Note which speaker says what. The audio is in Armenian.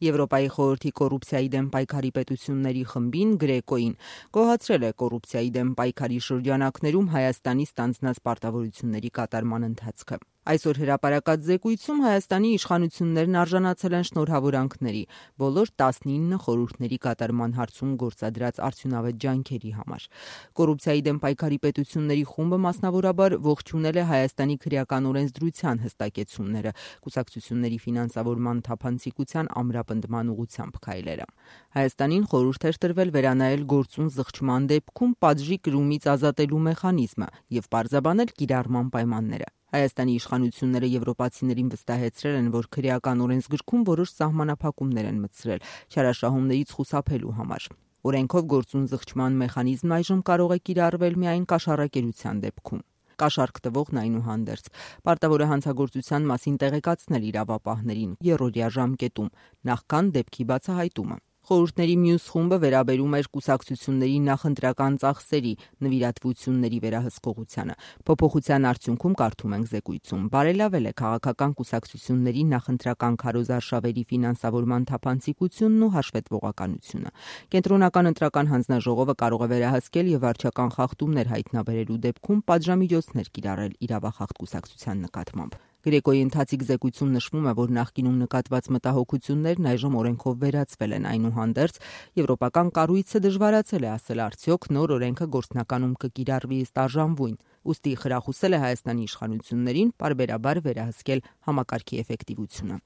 Speaker 1: Եվրոպայի խորհրդի կոռուպցիայի դեմ պայքարի պետությունների խմբին Գրեկոին գոհացրել է կոռուպցիայի դեմ պայքարի շրջանակներում Հայաստանի ստանձնած պարտավորությունների կատարման ընթացքը։ Այսօր հրապարակած զեկույցում Հայաստանի իշխանություններն արժանացել են շնորհավորանքների բոլոր 19 խորհուրդների կատարման հարցում գործադրած արդյունավետ ջանքերի համար։ Կոռուպցիայի դեմ պայքարի պետությունների խումբը մասնավորաբար ողջունել է Հայաստանի քրեական օրենսդրության հստակեցումները, կուսակցությունների ֆինանսավորման թափանցիկության ամրապնդման ուղղությամբ քայլերը։ Հայաստանին խորհուրդ էր տրվել վերանայել գործուն զղջման դեպքում պատժի կրումից ազատելու մեխանիզմը եւ պարզաբանել կիրառման պայմանները։ Հայաստանի իշխանությունները եվրոպացիներին վստահեցրել են, որ քրեական օրենսգրքում որոշ սահմանափակումներ են մտցրել չարաշահումներից խուսափելու համար։ Օրենքով գործուն զղջման մեխանիզմն այժմ կարող է կիրառվել միայն կաշառակերության դեպքում։ Կաշառք տվողն այնուհանդերձ պարտավոր է հանցագործության մասին տեղեկացնել իրավապահներին երրորդյա ժամկետում, նախքան դեպքի բացահայտումը։ Խորհուրդների մյուս խումբը վերաբերում էր կուսակցությունների նախընտրական ծախսերի նվիրատվությունների վերահսկողությանը։ Փոփոխության արդյունքում, կարդում ենք զեկույցում, բարելավել է քաղաքական կուսակցությունների նախընտրական քարոզարշավերի ֆինանսավորման թափանցիկությունն ու հաշվետվողականությունը։ Կենտրոնական ընտրական հանձնաժողովը կարող է վերահսկել եւ վարչական խախտումներ հայտնաբերելու դեպքում պատժամիջոցներ կիրառել իրավախախտ կուսակցության նկատմամբ։ Գրեկոյի ընթացիկ զեկույցում նշվում է, որ նախկինում նկատված մտահոգություններն այժմ օրենքով վերացվել են, այնուհանդերձ եվրոպական կառույցը դժվարացել է ասել արդյոք նոր օրենքը գործնականում կկիրառվի ըստ արժանվույն, ուստի խրախուսել է Հայաստանի իշխանություններին պարբերաբար վերահսկել համակարգի էֆեկտիվությունը։